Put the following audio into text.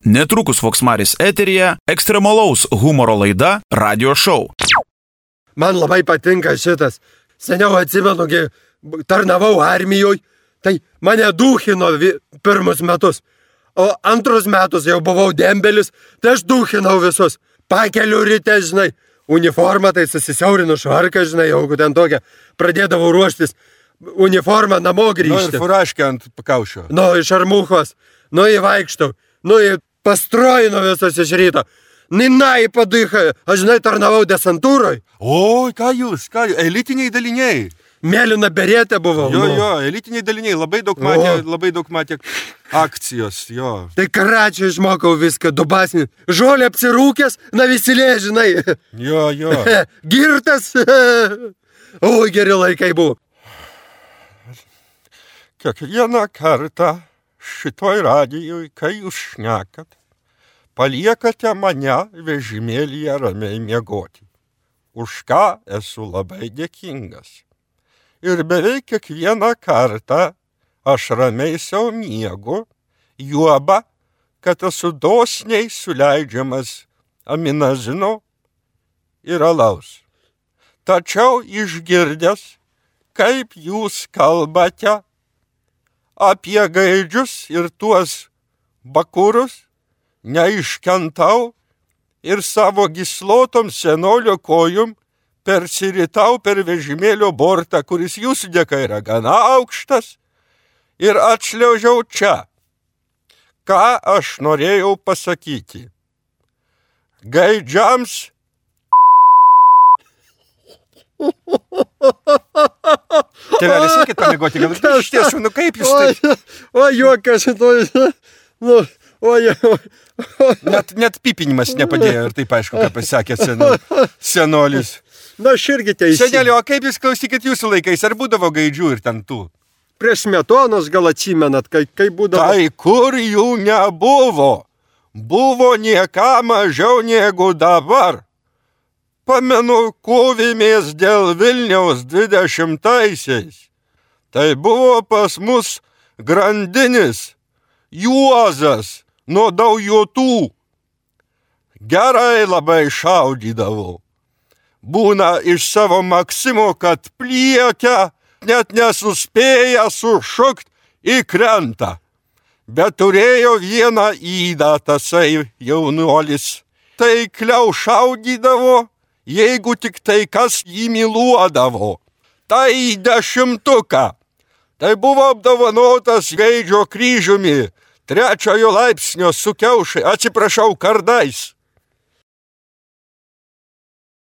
Netrukus Voksmaris eteryje ekstremalaus humoro laida Radio Show. Man labai patinka šitas. Seniau atsimenu, tarnavau armijoje, tai mane duchino pirmus metus. O antrus metus jau buvau dembelis, tai aš duchinau visus. Pakeliu ryte, žinai, uniformą, tai susisiaurinu švarką, žinai, jau ten tokia, pradėdavau ruoštis uniformą namo grįžti. Ir furaškę ant pakaušio. Iš armuchos, įvaikštau, pastrojinu visus iš ryto. Ninai padycha, aš žinai, tarnavau desantūroj. O, ką jūs, elitiniai daliniai. Mėlyna beretė buvau. Jo, elitiniai daliniai, labai daug matė akcijos, jo. Tai karačiai išmokau viską, dubasnį. Žolė apsirūkęs, visilė, žinai. Jo. Girtas. O, geri laikai buvo. Kiekvieną kartą šitoj radijoj, kai jūs šnekat, paliekate mane vežimėlyje ramiai miegoti. Už ką esu labai dėkingas. Ir beveik kiekvieną kartą aš ramiai savo miegu, juoba, kad esu dosniai suleidžiamas aminazino ir alaus. Tačiau išgirdęs, kaip jūs kalbate apie gaidžius ir tuos bakurus, neiškentau ir savo gyslotom senolio kojum persiritau per vežimėlio bortą, kuris jūsų dėka yra gana aukštas, ir atšliaužiau čia. Ką aš norėjau pasakyti? Gaidžiams... Tėvelis, reikėt pamėgoti, gal iš tiesų, kaip jūs tai... O, juokas, Net pipinimas nepadėjo ir taip aišku, ką pasakė senolis. Aš irgi teisė. Senelio, o kaip jūs klausykit jūsų laikais, ar būdavo gaidžių ir ten tų? Prieš Smetonos gal atsimenat, kai būdavo... Tai kur jų nebuvo? Buvo nieką mažiau negu dabar. Pamenu, kovėmės dėl Vilniaus 20-aisiais. Tai buvo pas mus grandinis Juozas nuo Daujotų. Gerai labai šaudydavo. Būna iš savo Maksimo, kad pliekia, net nesuspėja sušukt į krantą. Bet turėjo vieną ydą tasai jaunuolis. Taikliau šaudydavo, jeigu tik tai kas jį myluodavo. Tai 10. Tai buvo apdovanotas Gaidžio kryžiumi, 3 laipsnio su kiaušai, kardais.